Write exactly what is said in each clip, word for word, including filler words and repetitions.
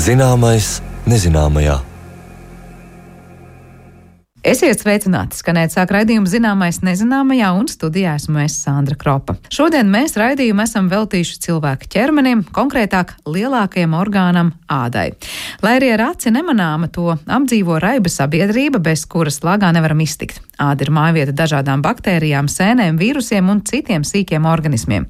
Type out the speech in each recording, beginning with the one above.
Zināmais nezināmajā. Esiet sveicināti! Skanēt sāk raidījumu Zināmais nezināmajā, un studijā esmu es Sandra Kropa. Šodien mēs raidījumu esam veltījuši cilvēka ķermenim, konkrētāk lielākajam orgānam – ādai. Lai arī ar aci nemanāma, to apdzīvo raiba sabiedrība, bez kuras lagā nevaram iztikt. Āda ir mājvieta dažādām baktērijām, sēnēm, vīrusiem un citiem sīkiem organismiem.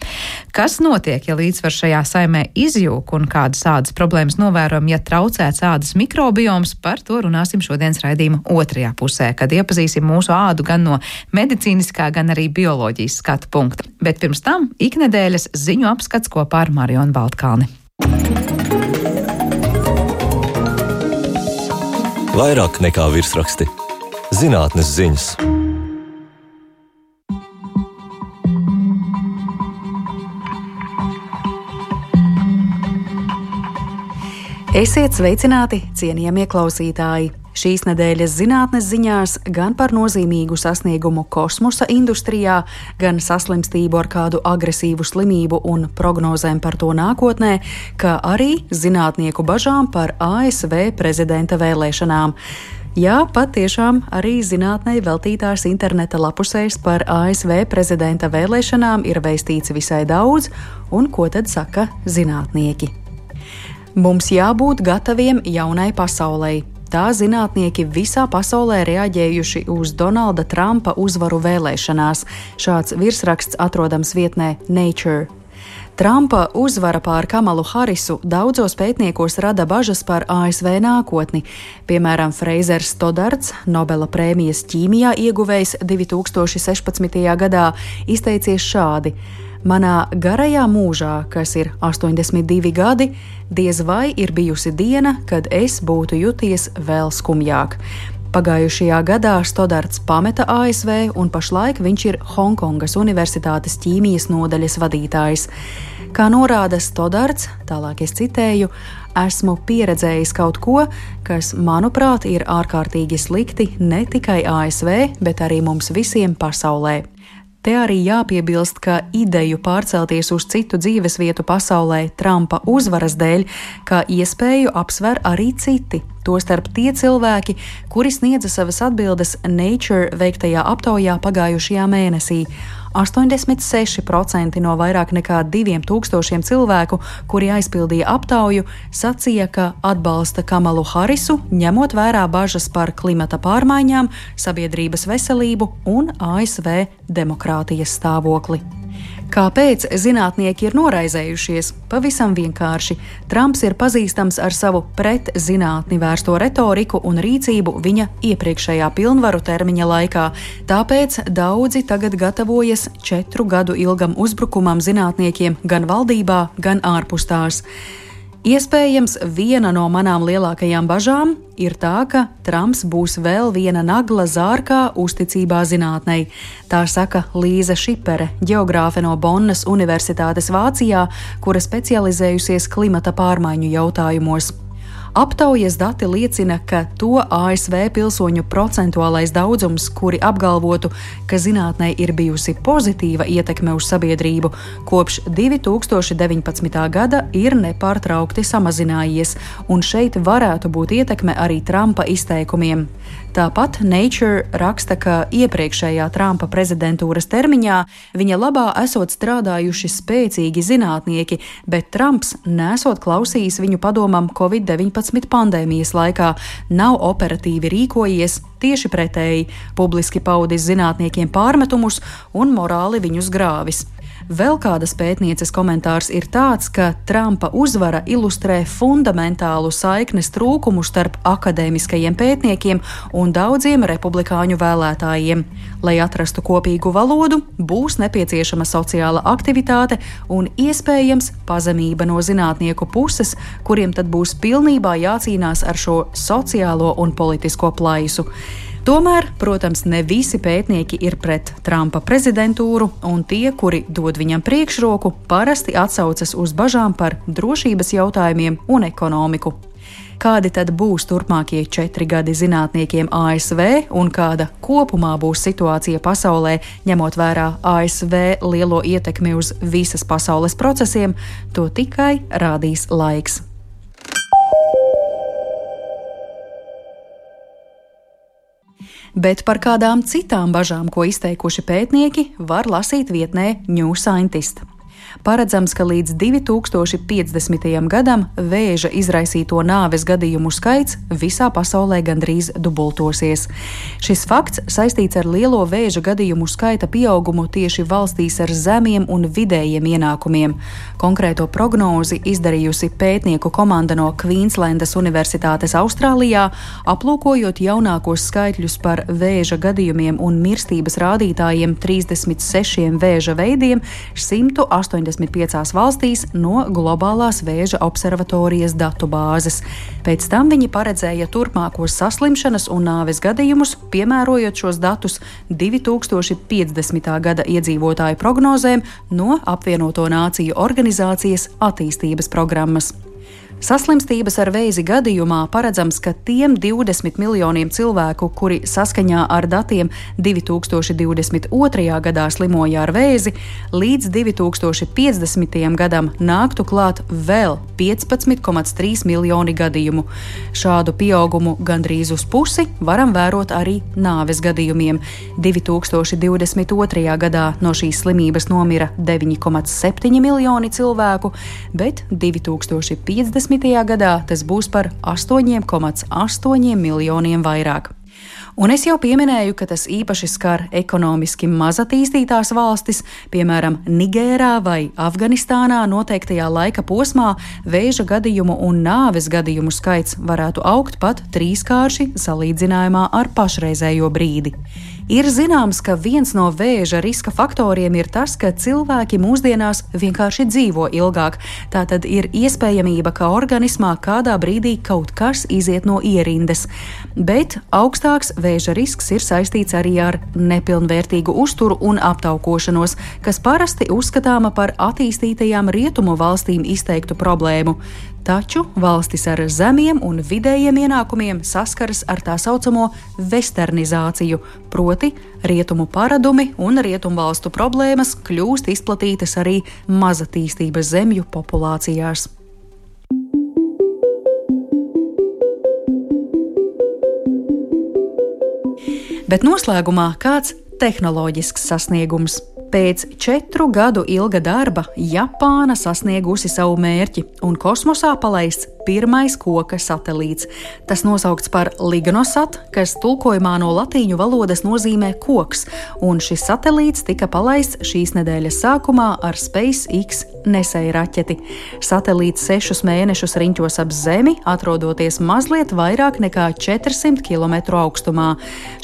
Kas notiek, ja līdzsvars šajā saimē izjūk un kādas ādas problēmas novērojam, ja traucēts ādas mikrobioms? Par to runāsim šodienas raidījuma otrajā pusē, kad iepazīsim mūsu ādu gan no medicīniskā, gan arī bioloģijas skatu punkta. Bet pirms tam iknedēļas ziņu apskats kopā ar Marionu Baltkalni. Vairāk nekā virsraksti. Zinātnes ziņas. Esiet sveicināti, cienījamie klausītāji! Šīs nedēļas zinātnes ziņās gan par nozīmīgu sasniegumu kosmosa industrijā, gan saslimstību ar kādu agresīvu slimību un prognozēm par to nākotnē, kā arī zinātnieku bažām par A S V prezidenta vēlēšanām. Jā, patiešām arī zinātnei veltītās interneta lapusēs par A S V prezidenta vēlēšanām ir veistīts visai daudz, un ko tad saka zinātnieki? Mums jābūt gataviem jaunai pasaulei. Tā zinātnieki visā pasaulē reaģējuši uz Donalda Trumpa uzvaru vēlēšanās. Šāds virsraksts atrodams vietnē Nature. Trumpa uzvara pār Kamalu Harisu daudzos pētniekos rada bažas par A S V nākotni. Piemēram, Freizers Stodarts, Nobela prēmijas ķīmijā ieguvējs divi tūkstoši sešpadsmitajā gadā, izteicies šādi: Manā garajā mūžā, kas ir astoņdesmit divi gadi, diez vai ir bijusi diena, kad es būtu juties vēl skumjāk. Pagājušajā gadā Stodarts pameta A S V, un pašlaik viņš ir Honkongas Universitātes ķīmijas nodaļas vadītājs. Kā norāda Stodarts, tālāk es citēju, esmu pieredzējis kaut ko, kas, manuprāt, ir ārkārtīgi slikti ne tikai A S V, bet arī mums visiem pasaulē. Te arī jāpiebilst, ka ideju pārcelties uz citu dzīvesvietu pasaulē Trumpa uzvaras dēļ, kā iespēju apsver arī citi, tostarp tie cilvēki, kuri sniedza savas atbildes Nature veiktajā aptaujā pagājušajā mēnesī. astoņdesmit seši procenti no vairāk nekā diviem tūkstošiem cilvēku, kuri aizpildīja aptauju, sacīja, ka atbalsta Kamalu Harisu, ņemot vērā bažas par klimata pārmaiņām, sabiedrības veselību un A S V demokrātijas stāvokli. Kāpēc zinātnieki ir noraizējušies? Pavisam vienkārši. Trumps ir pazīstams ar savu pret zinātni vērsto retoriku un rīcību viņa iepriekšējā pilnvaru termiņa laikā. Tāpēc daudzi tagad gatavojas četru gadu ilgam uzbrukumam zinātniekiem gan valdībā, gan ārpus tās. Iespējams, viena no manām lielākajām bažām ir tā, ka Trumps būs vēl viena nagla zārkā uzticībā zinātnei. Tā saka Līza Šipere, ģeogrāfe no Bonnas Universitātes Vācijā, kura specializējusies klimata pārmaiņu jautājumos. Aptaujas dati liecina, ka to A S V pilsoņu procentuālais daudzums, kuri apgalvotu, ka zinātnei ir bijusi pozitīva ietekme uz sabiedrību, kopš divi tūkstoši deviņpadsmitā gada ir nepārtraukti samazinājies, un šeit varētu būt ietekme arī Trumpa izteikumiem. Tāpat Nature raksta, ka iepriekšējā Trumpa prezidentūras termiņā viņa labā esot strādājuši spēcīgi zinātnieki, bet Trumps nesot klausījis viņu padomam covid deviņpadsmit pandēmijas laikā, nav operatīvi rīkojies, tieši pretēji, publiski paudis zinātniekiem pārmetumus un morāli viņus grāvis. Vēl kādas pētnieces komentārs ir tāds, ka Trumpa uzvara ilustrē fundamentālu saiknes trūkumu starp akadēmiskajiem pētniekiem un daudziem republikāņu vēlētājiem. Lai atrastu kopīgu valodu, būs nepieciešama sociāla aktivitāte un iespējams pazemība no zinātnieku puses, kuriem tad būs pilnībā jācīnās ar šo sociālo un politisko plaisu. Tomēr, protams, ne visi pētnieki ir pret Trumpa prezidentūru, un tie, kuri dod viņam priekšroku, parasti atsaucas uz bažām par drošības jautājumiem un ekonomiku. Kādi tad būs turpmākie četri gadi zinātniekiem A S V un kāda kopumā būs situācija pasaulē, ņemot vērā A S V lielo ietekmi uz visas pasaules procesiem, to tikai rādīs laiks. Bet par kādām citām bažām, ko izteikuši pētnieki, var lasīt vietnē New Scientist. Paredzams, ka līdz divi tūkstoši piecdesmitajam gadam vēža izraisīto nāves gadījumu skaits visā pasaulē gandrīz dubultosies. Šis fakts saistīts ar lielo vēža gadījumu skaita pieaugumu tieši valstīs ar zemiem un vidējiem ienākumiem. Konkrēto prognozi izdarījusi pētnieku komanda no Kvīnslendas Universitātes Austrālijā, aplūkojot jaunākos skaitļus par vēža gadījumiem un mirstības rādītājiem trīsdesmit sešiem vēža veidiem simtu astoņdesmit piecās valstīs no globālās vēža observatorijas datu bāzes. Pēc tam viņi paredzēja turpmākos saslimšanas un nāves gadījumus, piemērojot šos datus divi tūkstoši piecdesmitā gada iedzīvotāju prognozēm no Apvienoto Nāciju organizācijas attīstības programmas. Saslimstības ar vēzi gadījumā paredzams, ka tiem divdesmit miljoniem cilvēku, kuri saskaņā ar datiem divi tūkstoši divdesmit otrajā gadā slimoja ar vēzi, līdz divi tūkstoši piecdesmitajam gadam nāktu klāt vēl piecpadsmit komats trīs miljoni gadījumu. Šādu pieaugumu gandrīz uz pusi varam vērot arī nāves gadījumiem. divi tūkstoši divdesmit otrajā gadā no šīs slimības nomira deviņi komats septiņi miljoni cilvēku, bet divi tūkstoši piecdesmitajā gadā tas būs par astoņi komats astoņi miljoniem vairāk. Un es jau pieminēju, ka tas īpaši skar ekonomiski mazatīstītās valstis, piemēram, Nigērā vai Afganistānā noteiktajā laika posmā vēža gadījumu un nāves gadījumu skaits varētu augt pat trīskārši salīdzinājumā ar pašreizējo brīdi. Ir zināms, ka viens no vēža riska faktoriem ir tas, ka cilvēki mūsdienās vienkārši dzīvo ilgāk. Tātad ir iespējamība, ka organismā kādā brīdī kaut kas iziet no ierindas. Bet augstāks vēža risks ir saistīts arī ar nepilnvērtīgu uzturu un aptaukošanos, kas parasti uzskatāma par attīstītajām rietumu valstīm izteiktu problēmu. Taču valstis ar zemiem un vidējiem ienākumiem saskaras ar tā saucamo westernizāciju, proti rietumu paradumi un rietumvalstu problēmas kļūst izplatītas arī mazatīstības zemju populācijās. Bet noslēgumā kāds tehnoloģisks sasniegums. Pēc četru gadu ilga darba Japāna sasniegusi savu mērķi un kosmosā palaists pirmais koka satelīts. Tas nosaukts par Lignosat, kas tulkojumā no latīņu valodas nozīmē koks, un šis satelīts tika palaists šīs nedēļas sākumā ar SpaceX nesēju raķeti. Satelīts sešus mēnešus riņķos ap Zemi, atrodoties mazliet vairāk nekā četrsimt kilometru augstumā.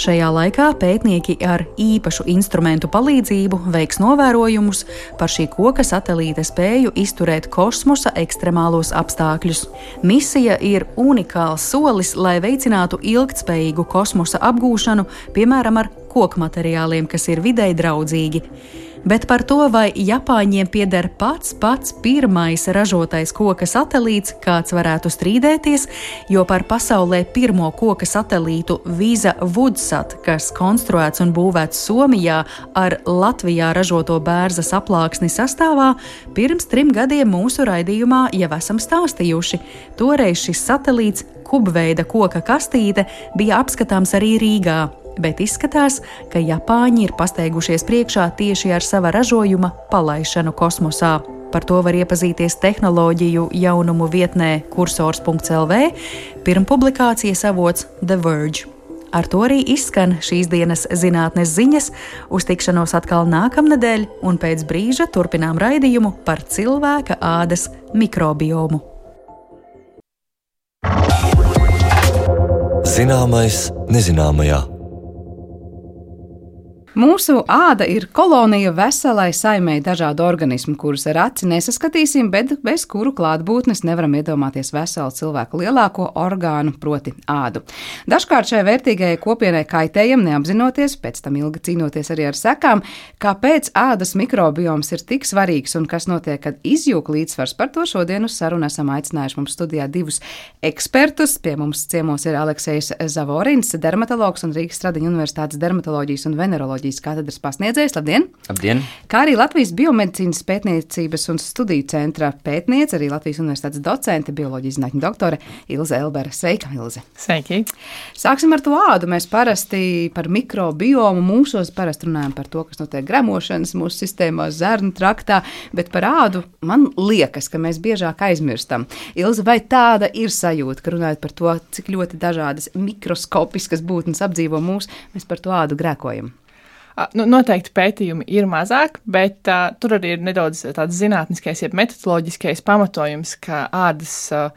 Šajā laikā pētnieki ar īpašu instrumentu palīdzību veiks novērojumus par šī koka satelīta spēju izturēt kosmosa ekstremālos apstākļus. Misija ir unikāls solis, lai veicinātu ilgtspējīgu kosmosa apgūšanu, piemēram, ar koku materiāliem, kas ir videi draudzīgi. Bet par to, vai Japāņiem pieder pats pats pirmais ražotais koka satelīts, kāds varētu strīdēties, jo par pasaulē pirmo koka satelītu Visa Woodsat, kas konstruēts un būvēts Somijā ar Latvijā ražoto bērzas aplāksni sastāvā, pirms trim gadiem mūsu raidījumā jau esam stāstījuši. Toreiz šis satelīts, kubveida koka kastīte, bija apskatāms arī Rīgā. Bet izskatās, ka Japāņi ir pasteigušies priekšā tieši ar sava ražojuma palaišanu kosmosā. Par to var iepazīties tehnoloģiju jaunumu vietnē kursors punkts el vē, pirmpublikācijas avots The Verge. Ar to arī izskan šīs dienas zinātnes ziņas, uz tikšanos atkal nākamnedēļ un pēc brīža turpinām raidījumu par cilvēka ādas mikrobiomu. Zināmais nezināmajā. Mūsu āda ir kolonija veselai saimei dažādu organismu, kurus ar aci nesaskatīsim, bet bez kuru klātbūtnes nevaram iedomāties veselu cilvēku lielāko orgānu, proti ādu. Dažkārt šai vērtīgajai kopienai kaitējam, neapzinoties, pēc tam ilgi cīnoties arī ar sekām, kāpēc ādas mikrobioms ir tik svarīgs un kas notiek, kad izjūg līdzsvars. Par to šodien uz sarunu esam aicinājuši mums studijā divus ekspertus. Pie mums ciemos ir Aleksejs Zavorins, dermatologs un Rīgas Stradiņa Universitātes dermatoloģijas un veneroloģijas katedras pasniedzējs. Labdien! Labdien! Kā arī Latvijas biomedicīnas pētniecības un studiju centra pētniece, arī Latvijas Universitātes docente, bioloģijas zinātņu doktore Ilze Elbere. Sveika, Ilze! Sveiki! Sāksim ar to ādu. Mēs parasti par mikrobiomu mūsos parasti runājam par to, kas notiek gremošanas mūsu sistēmā, zarnu traktā, bet par ādu man liekas, ka mēs biežāk aizmirstam. Ilze, vai tāda ir sajūta, ka runājot par to, cik ļoti dažādas mikroskopiskas būtnes apdzīvo mūs, mēs par to ādu grēkojam? Nu, noteikti pētījumi ir mazāk, bet uh, tur arī ir nedaudz tāds zinātniskais, jeb metodoloģiskais pamatojums, ka ādas uh,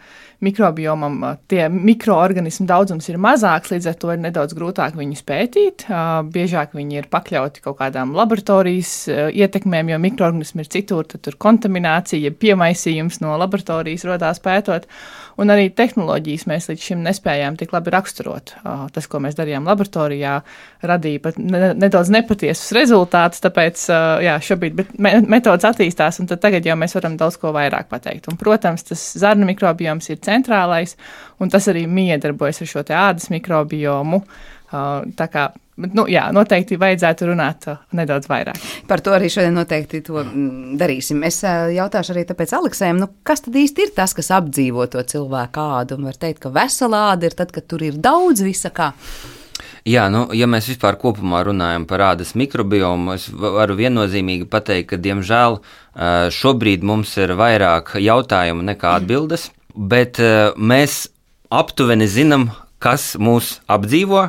mikrobiomam uh, tie mikroorganismu daudzums ir mazāks, līdz ar to ir nedaudz grūtāk viņus pētīt. Uh, biežāk viņi ir pakļauti kaut kādām laboratorijas uh, ietekmēm, jo mikroorganismi ir citur, tad tur kontaminācija, jeb piemaisījums no laboratorijas rodās pētot. Un arī tehnoloģijas mēs līdz šim nespējām tik labi raksturot. Uh, tas, ko mēs darījām laboratorijā, radīja pat ne, nedaudz nepatiesus rezultātus, tāpēc uh, jā, šobrīd me, metodas attīstās, un tad tagad jau mēs varam daudz ko vairāk pateikt. Un, protams, tas zarnu mikrobioms ir centrālais, un tas arī miedarbojas ar šo te ādas mikrobiomu. Uh, tā kā Nu, jā, noteikti vajadzētu runāt uh, nedaudz vairāk. Par to arī šodien noteikti to mm, darīsim. Es uh, jautāšu arī tāpēc Aleksējam, nu, kas tad īsti ir tas, kas apdzīvo to cilvēku ādu? Un var teikt, ka vesela āda ir tad, kad tur ir daudz visa kā. Jā, nu, ja mēs vispār kopumā runājam par ādas mikrobiomu, es varu viennozīmīgi pateikt, ka, diemžēl, šobrīd mums ir vairāk jautājumu nekā atbildes, bet mēs aptuveni zinām, kas mūs apdzīvo.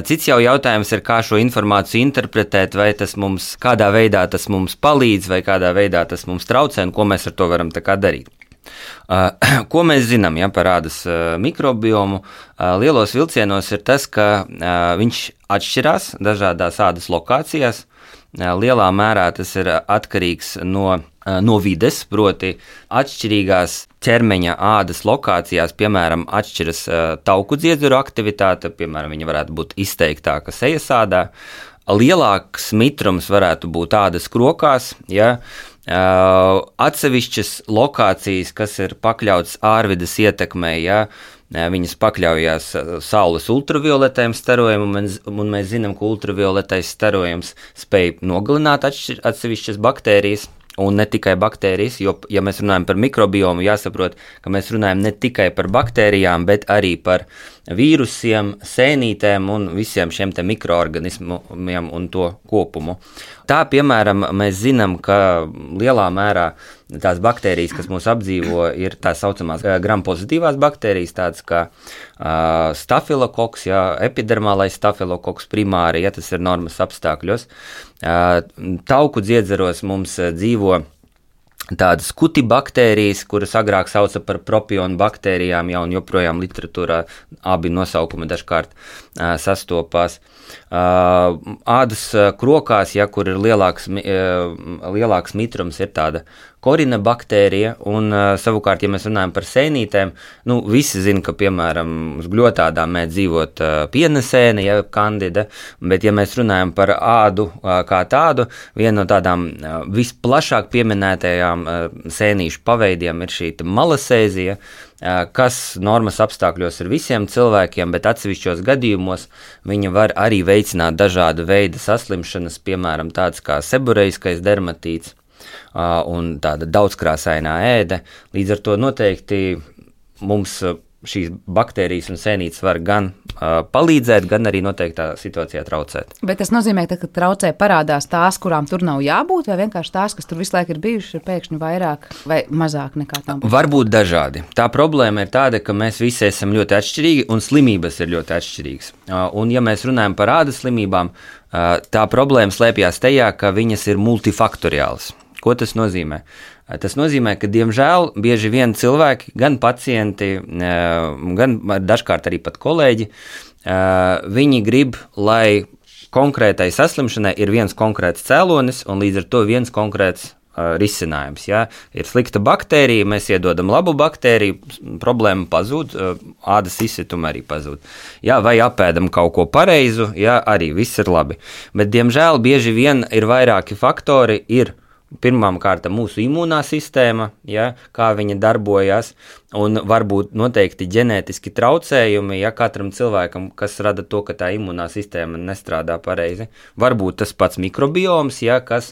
Cits jau jautājums ir, kā šo informāciju interpretēt, vai tas mums, kādā veidā tas mums palīdz, vai kādā veidā tas mums traucē, un ko mēs ar to varam tā kā darīt. Uh, ko mēs zinām ja, par ādas uh, mikrobiomu? Uh, lielos vilcienos ir tas, ka uh, viņš atšķirās dažādās ādas lokācijās. Uh, lielā mērā tas ir atkarīgs no, uh, no vides, proti atšķirīgās ķermeņa ādas lokācijās, piemēram, atšķiras uh, tauku dziedzuru aktivitāte, piemēram, viņa varētu būt izteiktāka sejas ādā. Lielāks mitrums varētu būt ādas krokās, ja. Uh, atsevišķas lokācijas, kas ir pakļautas ārvides ietekmei, ja, viņas pakļaujās saules ultravioletējiem starojumam, un, un mēs zinām, ka ultravioletais starojums spēj nogalināt atšķir, atsevišķas baktērijas, un ne tikai baktērijas, jo, ja mēs runājam par mikrobiomu, jāsaprot, ka mēs runājam ne tikai par baktērijām, bet arī par vīrusiem, sēnītēm un visiem šiem te mikroorganismiem un to kopumu. Tā, piemēram, mēs zinām, ka lielā mērā tās baktērijas, kas mūs apdzīvo, ir tā saucamās gram-pozitīvās baktērijas, tādas kā uh, stafilokoks, ja, epidermālais stafilokoks primāri, ja tas ir normas apstākļos. Uh, tauku dziedzaros mums dzīvo tādas kutibaktērijas, kuras agrāk sauca par propionu baktērijām, ja, un joprojām literatūrā abi nosaukumi dažkārt uh, sastopās. Uh, ādas krokās, ja, kur ir lielāks, uh, lielāks mitrums, ir tāda korina baktērija, un uh, savukārt, ja mēs runājam par sēnītēm, nu, visi zina, ka, piemēram, uz gļotādām mēdz dzīvot uh, pienesēne, ja kandida, bet, ja mēs runājam par ādu uh, kā tādu, viena no tādām uh, visplašāk pieminētajām uh, sēnīšu paveidiem ir šī malasēzija, uh, kas normas apstākļos ir visiem cilvēkiem, bet atsevišķos gadījumos viņa var arī veicināt dažādu veidu saslimšanas, piemēram, tāds kā seborreiskais dermatīts, Uh, un tāda daudzkrāsainā ēde. Līdz ar to noteikti mums uh, šīs baktērijas un sēnītes var gan uh, palīdzēt, gan arī noteiktā situācijā traucēt. Bet tas nozīmē, ka, kad traucē parādās tās, kurām tur nav jābūt, vai vienkārši tās, kas tur visu laiku ir bijušas, ir pēkšņi vairāk vai mazāk nekā tam būtu? Varbūt dažādi. Tā problēma ir tāda, ka mēs visi esam ļoti atšķirīgi un slimības ir ļoti atšķirīgas. Uh, un ja mēs runājam par ādas slimībām, uh, tā problēma slēpjas tajā, ka viņas ir multifaktoriālas. Ko tas nozīmē? Tas nozīmē, ka, diemžēl, bieži vien cilvēki, gan pacienti, gan dažkārt arī pat kolēģi, viņi grib, lai konkrētai saslimšanai ir viens konkrēts cēlonis un līdz ar to viens konkrēts uh, risinājums. Ja? Ir slikta baktērija, mēs iedodam labu baktēriju, problēma pazūd, uh, ādas izsituma arī pazūd. Ja? Vai apēdam kaut ko pareizu, ja? Arī viss ir labi. Bet, diemžēl, bieži vien ir vairāki faktori, ir pirmām kārtām mūsu imūnā sistēma, ja, kā viņa darbojas, un varbūt noteikti ģenētiski traucējumi, ja katram cilvēkam, kas rada to, ka tā imūnā sistēma nestrādā pareizi. Varbūt tas pats mikrobioms, ja, kas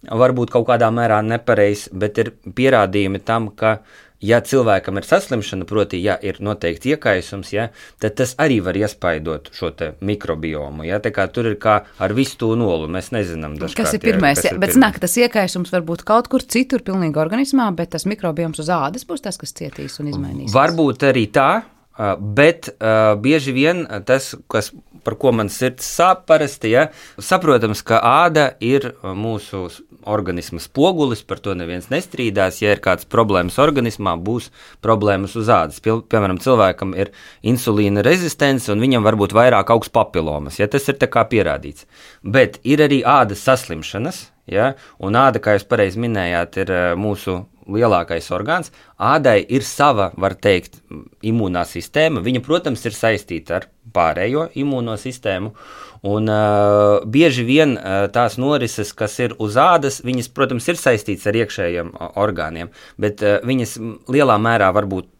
varbūt kaut kādā mērā nepareizs, bet ir pierādījumi tam, ka ja cilvēkam ir saslimšana, proti, ja ir noteikts iekaisums, ja, tad tas arī var iespaidot šo te mikrobiomu. Ja, tā kā tur ir kā ar visu to nolu, mēs nezinām dažkārt. Kas ir pirmais? Ja, bet znak, tas iekaisums var būt kaut kur citur pilnīgi organismā, bet tas mikrobioms uz ādas būs tas, kas cietīs un izmainīs. Varbūt arī tā, bet uh, bieži vien tas, kas, par ko man sirds sāp parasti, ja, saprotams, ka āda ir mūsu organisma spogulis, par to neviens nestrīdās. Ja ir kāds problēmas organismā, būs problēmas uz ādas. Pie, piemēram, cilvēkam ir insulīna rezistence un viņam varbūt vairāk augs papilomas. Ja, tas ir tā kā pierādīts. Bet ir arī ādas saslimšanas, ja, un āda, kā jūs pareizi minējāt, ir mūsu lielākais orgāns. Ādai ir sava, var teikt, imūnā sistēma. Viņa, protams, ir saistīta ar pārējo imūno sistēmu. Un uh, bieži vien uh, tās norises, kas ir uz ādas, viņas, protams, ir saistītas ar iekšējiem uh, orgāniem, bet uh, viņas lielā mērā varbūt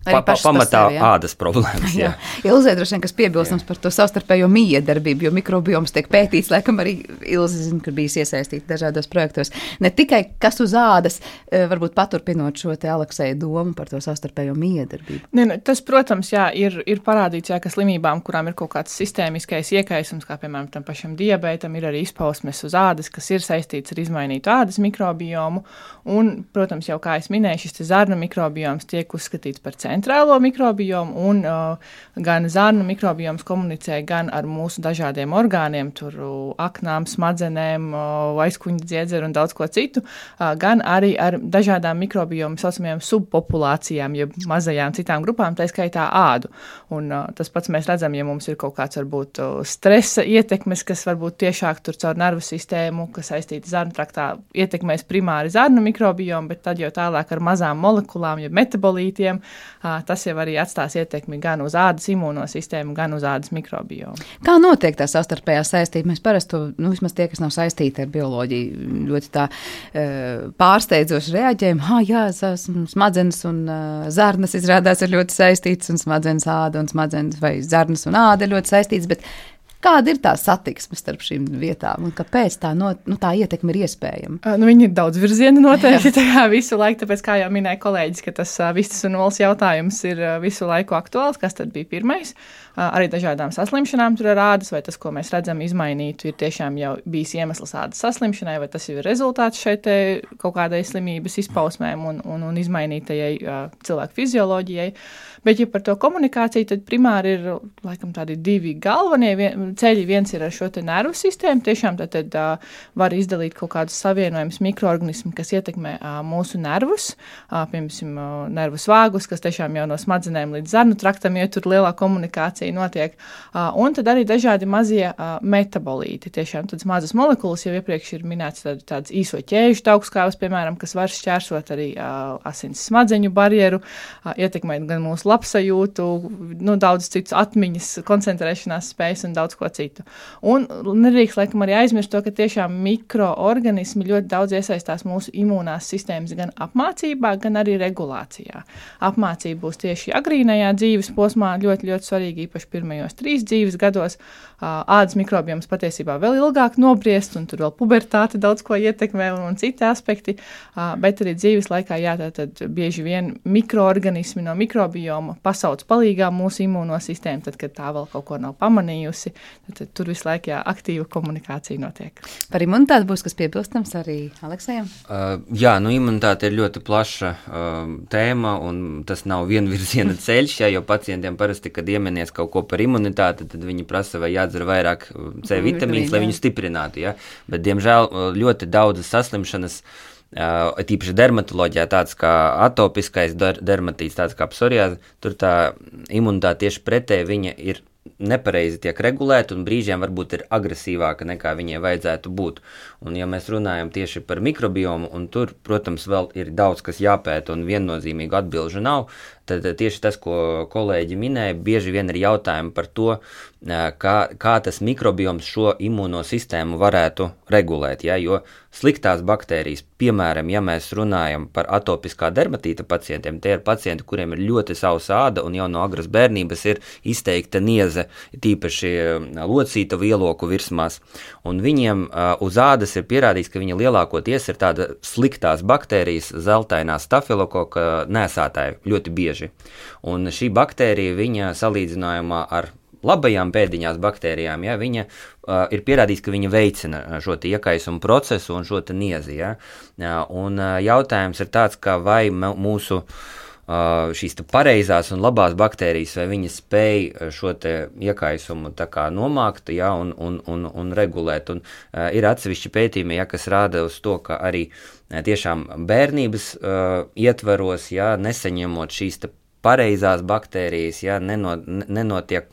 Pa, pa, pamatā sevi, ādas problēmas. Jā. Jā. Ilzē droši vien, kas piebilstams par to savstarpējo miedarbību, jo mikrobioms tiek pētīts, laikam arī Ilze zina, ka bijis iesaistīta dažādos projektos. Ne tikai kas uz ādas, varbūt paturpinot šo te Alekseja domu par to savstarpējo miedarbību. Ne, ne, tas, protams, jā, ir, ir parādīts, jā, ka slimībām, kurām ir kaut kāds sistēmiskais iekaisums, kā piemēram tam pašam diabētam, ir arī izpausmes uz ādas, kas ir saistīts ar izmainītu ādas mikrobiomu. Un, protams, jau kā es minēju, šis zarnu mikrobioms tiek uzskatīts par centrālo mikrobiomu, un uh, gan zarnu mikrobioms komunicē gan ar mūsu dažādiem orgāniem, tur aknām, smadzenēm, uh, aizkuņa dziedzeru un daudz ko citu, uh, gan arī ar dažādām mikrobiomu saucamajām subpopulācijām, jeb mazajām citām grupām, tā skaitā ādu. Un uh, tas pats mēs redzam, ja mums ir kaut kāds varbūt uh, stresa ietekmes, kas varbūt tiešāk tur caur nervu sistēmu, kas saistīta zarnu traktā, ietekmēs primāri zarnu mikrobiomu, bet tad jau tālāk ar mazām molekulām, jeb metabolītiem, tas jau arī atstās ietekmi gan uz ādas imūnosistēmu, gan uz ādas mikrobiomu. Kā notiek tā savstarpējā saistība? Mēs parasti to, nu, vismaz tie, kas nav saistīti ar bioloģiju, ļoti tā pārsteidzoši reaģējam. Ha, jā, smadzenes un zarnas izrādās ir ļoti saistītas, un smadzenes āda un smadzenes vai zarnas un āda ir ļoti saistītas, bet kāda ir tā satiksme starp šīm vietām un kāpēc tā, no, nu, tā ietekme ir iespējama? Uh, nu, viņi ir daudz virzieni noteikti tajā visu laiku, tāpēc, kā jau minēja kolēģis, ka tas uh, vistas un olas jautājums ir uh, visu laiku aktuāls, kas tad bija pirmais. Uh, arī dažādām saslimšanām tur ar ādas, vai tas, ko mēs redzam izmainītu, ir tiešām jau bijis iemesls ādas saslimšanai, vai tas jau ir rezultāts šeit kaut kādai slimības izpausmēm un, un, un izmainītajai uh, cilvēku fizioloģijai. Bet, ja par to komunikāciju, tad primāri ir, laikam, tādi divi galvenie vien, ceļi. Viens ir ar šo te nervu sistēmu, tiešām tad, tad uh, var izdalīt kaut kādus savienojumus mikroorganismi, kas ietekmē uh, mūsu nervus, uh, piemēram, uh, nervu svāgus, kas tiešām jau no smadzenēm līdz zarnu traktam, ja tur lielā komunikācija notiek. Uh, un tad arī dažādi mazie uh, metabolīti, tiešām tādas mazas molekulas, jau iepriekš ir minēts tād, tāds īso ķēžu taukskāvas, piemēram, kas var šķērsot arī uh, asins smadzeņu barjeru, uh, ietekmēt gan mūsu labsajūtu, nu, daudz citus atmiņas, koncentrēšanās spējas un daudz ko citu. Un nedrīkst, laikam, arī aizmirst to, ka tiešām mikroorganismi ļoti daudz iesaistās mūsu imūnās sistēmas gan apmācībā, gan arī regulācijā. Apmācība būs tieši agrīnajā dzīves posmā ļoti, ļoti svarīgi, īpaši pirmajos trīs dzīves gados. Ādas mikrobioms patiesībā vēl ilgāk nobriest, un tur vēl pubertāte daudz ko ietekmē un, un citi aspekti, bet arī dzīves laikā, jā, tad bieži vien mikroorganismi no mikrobioma pasauc palīgā mūsu imūnosistēmu, tad, kad tā vēl kaut ko nav pamanījusi, tad, tad tur visu laiku jā, aktīva komunikācija notiek. Par imunitāti būs kas piebilstams arī Aleksejam? Uh, jā, nu imunitāte ir ļoti plaša uh, tēma, un tas nav vienvirziena ceļš, jā, jo pacientiem parasti, kad iemenies kaut ko par imunitāti, tad viņi prasa, vai jādzer vairāk C vitamīns, lai viņu stiprinātu, jā. Bet, diemžēl, ļoti daudzas saslimšanas, Uh, tīpaši dermatoloģijā, tāds kā atopiskais der- dermatīts, tāds kā psoriāze, tur tā imunitāte tieši pretēji viņa ir nepareizi tiek regulēti un brīžiem varbūt ir agresīvāka nekā viņiem vajadzētu būt. Un ja mēs runājam tieši par mikrobiomu, un tur, protams, vēl ir daudz, kas jāpēta un viennozīmīgu atbilžu nav, tad tieši tas, ko kolēģi minēja, bieži vien ir jautājumi par to, kā, kā tas mikrobioms šo imūno sistēmu varētu regulēt, ja, jo sliktās baktērijas, piemēram, ja mēs runājam par atopiskā dermatīta pacientiem, tie ir pacienti, kuriem ir ļoti sausa āda un jau no agras bērnības ir izteikta nieze, tīpaši locīta vieloku virsmās, un viņiem uz ādas ir pierādīts, ka viņa lielākoties ir tāda sliktās baktērijas, zeltainā stafilokoka nēsātāja ļoti bieži. Un šī baktērija, viņa salīdzinājumā ar labajām pēdiņās baktērijām, ja, viņa uh, ir pierādīts, ka viņa veicina šo iekaisumu procesu un šo niezi. Ja. Un uh, jautājums ir tāds, ka vai mūsu uh, šīs pareizās un labās baktērijas, vai viņas spēj šo iekaisumu tā kā nomākt, ja, un, un, un, un regulēt. Un, uh, ir atsevišķi pētījumi, ja, kas rāda uz to, ka arī tiešām bērnības uh, ietvaros, ja, nesaņemot šīs pareizās baktērijas, ja, neno, nenotiek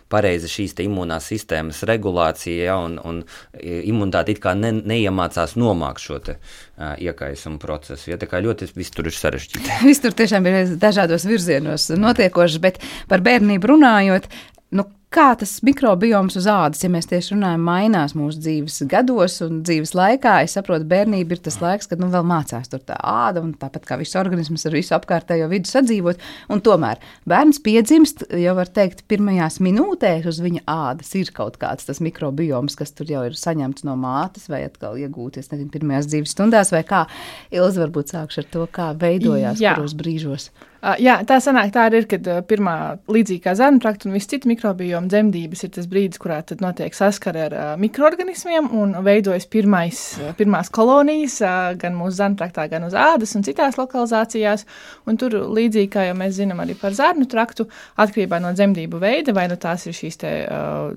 pareizi šīs te imunās sistēmas regulācija, ja, un, un imunitāte it kā ne, neiemācās nomākt šo te uh, iekaisumu procesu. Ja, tā kā ļoti viss tur ir sarežģīti. Viss tur tiešām ir dažādos virzienos notiekoši, bet par bērnību runājot, nu, kā tas mikrobioms uz ādas, ja mēs tieši runājam, mainās mūsu dzīves gados un dzīves laikā? Es saprotu, bērnība ir tas laiks, kad nu vēl mācās tur tā āda un tāpat kā viss organisms ar visu apkārtējo vidu sadzīvot. Un tomēr bērns piedzimst, jau var teikt, pirmajās minūtēs uz viņa ādas ir kaut kāds tas mikrobioms, kas tur jau ir saņemts no mātes vai atkal iegūties, nezinu, pirmajās dzīves stundās vai kā. Ilze, varbūt sākšu ar to, kā veidojās Jā. kuros brīžos. Uh, jā, tā sanāk, tā ir, kad uh, pirmā līdzīgi kā zarnu trakta un viss citi mikrobioma dzemdības ir tas brīdis, kurā tad notiek saskare ar uh, mikroorganismiem un veidojas pirmais, uh, pirmās kolonijas uh, gan mūsu zarnu traktā, gan uz ādas un citās lokalizācijās. Un tur līdzīgi kā jau mēs zinām arī par zarnu traktu, atkarībā no dzemdību veida, vai nu tās ir šīs te uh,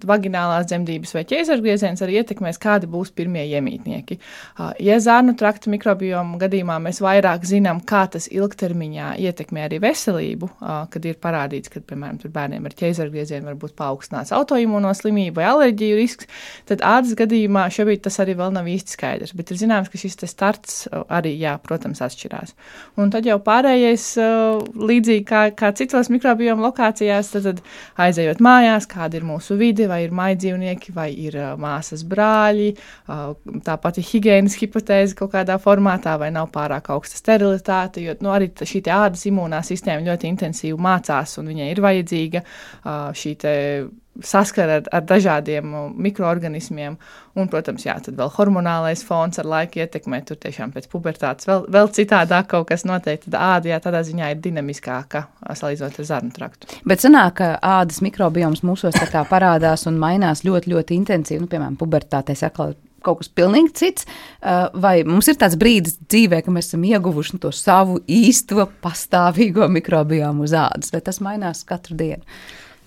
vaginālās dzemdības vai ķēzargrieziens, arī ietekmēs, kādi būs pirmie iemītnieki. Uh, ja zarnu trakta mikrobioma gadījumā mēs vairāk zinām, kā tas ilgtermiņā ietekmē arī veselību, kad ir parādīts, ka, piemēram, tur bērniem ar ķēzargriezienu var būt paaugstināts autoimūno slimību vai alerģiju risks, tad ādas gadījumā šobrīd tas arī vēl nav īsti skaidrs, bet ir zināms, ka šis te starts arī, jā, protams, atšķirās. Un tad jau pārējais, līdzīgi kā, kā citos mikrobioma lokācijās, tad, tad aizejot mājās, kāda ir mūsu vide, vai ir maidzīvnieki, vai ir māsas brāļi, tāpat ir higienas hipotēze kaut kādā formātā, vai nav pārāk augsta sterilitāte, jo, nu, arī šī ādas imūnā sistēma ļoti intensīvi mācās, un viņai ir vajadzīga uh, šī te saskara ar, ar dažādiem mikroorganismiem, un, protams, jā, tad vēl hormonālais fons ar laiku ietekmē, tur tiešām pēc pubertātes vēl, vēl citādāk kaut kas noteikti, tad āda, jā, tādā ziņā ir dinamiskāka, salīdzinot ar zarnu traktu. Bet sanāk, ka ādas mikrobioms mūsos tā kā parādās un mainās ļoti, ļoti intensīvi, nu, piemēram, pubertātē sakla kaut kas pilnīgi cits, vai mums ir tāds brīdis dzīvē, ka mēs esam ieguvuši to savu īsto pastāvīgo mikrobiomu uz ādas, vai tas mainās katru dienu?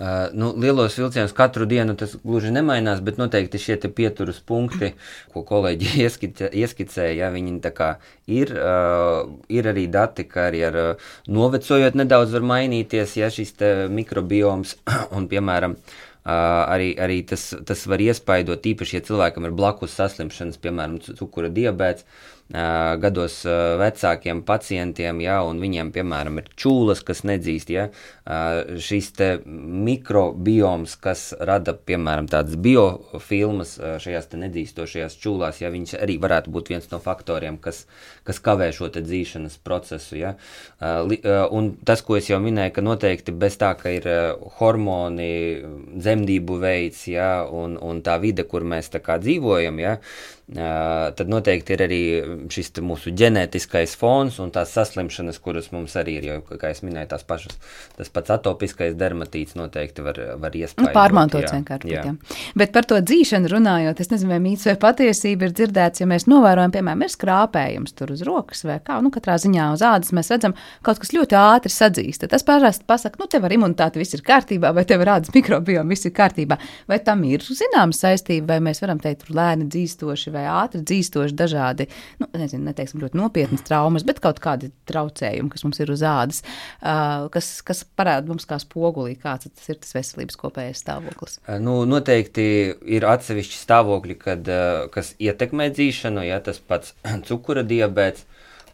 Uh, nu, lielos vilcienos katru dienu tas gluži nemainās, bet noteikti šie te pieturas punkti, ko kolēģi ieskice, ieskicēja, ja, viņi tā kā ir, uh, ir arī dati, ka arī ar uh, novecojot nedaudz var mainīties, ja šis te mikrobioms un, piemēram, Uh, arī, arī tas, tas var iespaidot, īpaši, ja cilvēkam ir blakus saslimšanas, piemēram, cukura diabēts, uh, gados uh, vecākiem pacientiem, ja, un viņiem, piemēram, ir čūlas, kas nedzīst, ja, uh, šis te mikrobioms, kas rada, piemēram, tādas biofilmas uh, šajās te nedzīstošajās čūlās, ja, viņš arī varētu būt viens no faktoriem, kas, kas kavē šo te dzīšanas procesu, ja, uh, li, uh, un tas, ko es jau minēju, ka noteikti bez tā, ka ir uh, hormoni, dzemdību veids, ja, un, un tā vide, kur mēs tā kā dzīvojam, ja, tad noteikti ir arī šis mūsu ģenētiskais fons un tās saslimšanas, kuras mums arī ir, jo, kā es minēju, tās pašas, tas pats atopiskais dermatīts noteikti var, var iespaidot. Pārmantots vienkārši. Jā. Jā. Bet par to dzīšanu runājot, es nezinu, vai mīts vai patiesība ir dzirdēts, ja mēs novērojam, piemēram, ir skrāpējums tur uz rokas vai kā, nu katrā ziņā uz ādas mēs redzam, kaut kas ļoti ātri sadzīst. Tas parasti pasaka, nu tev ar imunitāti viss ir kārtībā, vai tev ar ādas mikrobiom viss ir kārtībā. Vai tam ir zināma saistība, vai mēs varam teikt, tur lēni dzīstoši vai ātri dzīstoši dažādi nu, nezinu, neteiksim ļoti nopietnas traumas, bet kaut kādi traucējumi, kas mums ir uz ādas, kas, kas parāda mums kā spogulī, kāds tas ir tas veselības kopējais stāvoklis. Nu, noteikti ir atsevišķi stāvokļi, kad, kas ietekmē dzīšanu, ja tas pats cukura diabēts,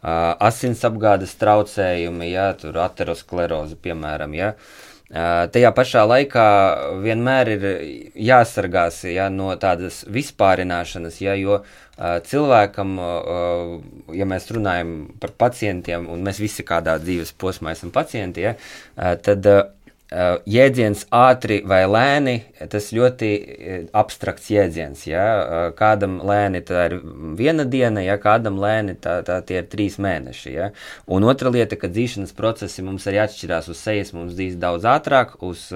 asinsapgādes traucējumi, ja tur ateroskleroze, piemēram, ja. Tajā pašā laikā vienmēr ir jāsargās ja, no tādas vispārināšanas, ja, jo cilvēkam, ja mēs runājam par pacientiem, un mēs visi kādā dzīves posmā esam pacienti, ja, tad jēdziens ātri vai lēni, tas ļoti abstrakts jēdziens, ja, kādam lēni tā ir viena diena, ja, kādam lēni tā, tā tie ir trīs mēneši, ja, un otra lieta, ka dzīšanas procesi mums arī atšķirās uz sejas, mums dzīs daudz ātrāk, uz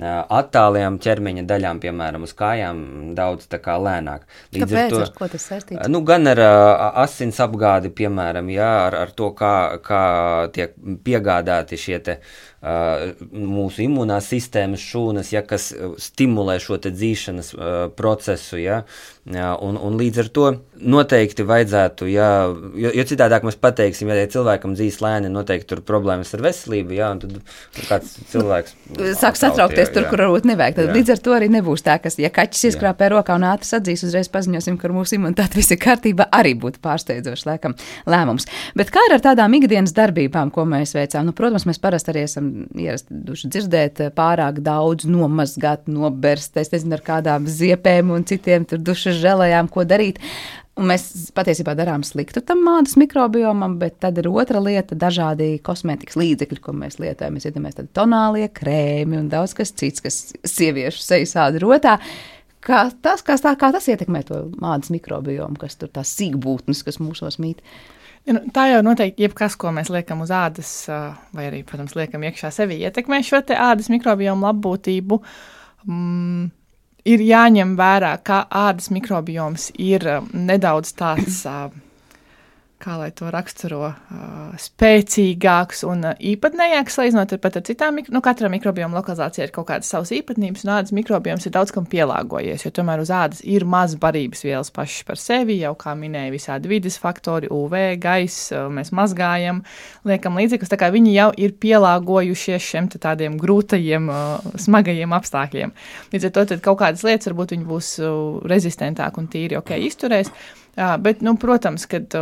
attālajām ķermeņa daļām, piemēram, uz kājām daudz tā kā lēnāk. Līdz Kāpēc? Ar, ar ko tas saistīts? Nu, gan ar asins apgādi, piemēram, jā, ar, ar to, kā, kā tiek piegādāti šie te uh, mūsu imunās sistēmas šūnas, ja, kas stimulē šo te dzīšanas uh, procesu, ja, un, un līdz ar to noteikti vajadzētu, ja, jo, jo citādāk mēs pateiksim, ja cilvēkam dzīs lēni, noteikti tur problēmas ar veselību, ja, un tad kāds cilvēks sāk satraukties tur, kur varbūt nevajag. Tad jā. Līdz ar to arī nebūs tā, ka, ja kaķis ieskrāpē rokā un ātri sadzīs, uzreiz paziņosim, ka ar mūsu imunitāti viss ir kārtībā, arī būtu pārsteidzošs laikam lēmums. Bet kā ir ar tādām ikdienas darbībām, ko mēs veicām? Nu, protams, mēs parasti arī esam ieraduši dzirdēt pārāk daudz nomazgāt, noberst, es nezinu, ar kādām ziepēm un citiem tur dušas želējām, ko darīt. Un mēs patiesībā darām sliktu tam ādas mikrobiomam, bet tad ir otra lieta - dažādi kosmētikas līdzekļi, ko mēs lietojam. Mēs iedomājamies tādi tonālie krēmi un daudz kas cits, kas sieviešu sejas āda rotā. Kā tas, kā, tā, kā tas ietekmē to ādas mikrobiomu, kas tur tās sīkbūtnes, kas mūsos mīt? Ja, nu, tā jau noteikti jebkas, ko mēs liekam uz ādas, vai arī, protams, liekam iekšā sevi, ietekmē šo te ādas mikrobiomu labbūtību. Mm. Ir jāņem vērā, ka ādas mikrobioms ir nedaudz tāds, kā lai to raksturo, spēcīgāks un īpatnējāks, salīdzinot pat ar citām, nu, katra mikrobioma lokalizācija ir kaut kādas savas īpatnības, un ādas mikrobioms ir daudz kam pielāgojies, jo tomēr uz ādas ir maz barības vielas pašas par sevi, jau kā minēja visādi vides faktori, U V, gaiss, mēs mazgājam, liekam līdzekļus, tā kā viņi jau ir pielāgojušies šiem tādiem grūtajiem, smagajiem apstākļiem. Līdz ar to tad kaut kādas lietas varbūt viņi būs rezistentāk un tīri ok izturēs. Jā, bet, nu, protams, kad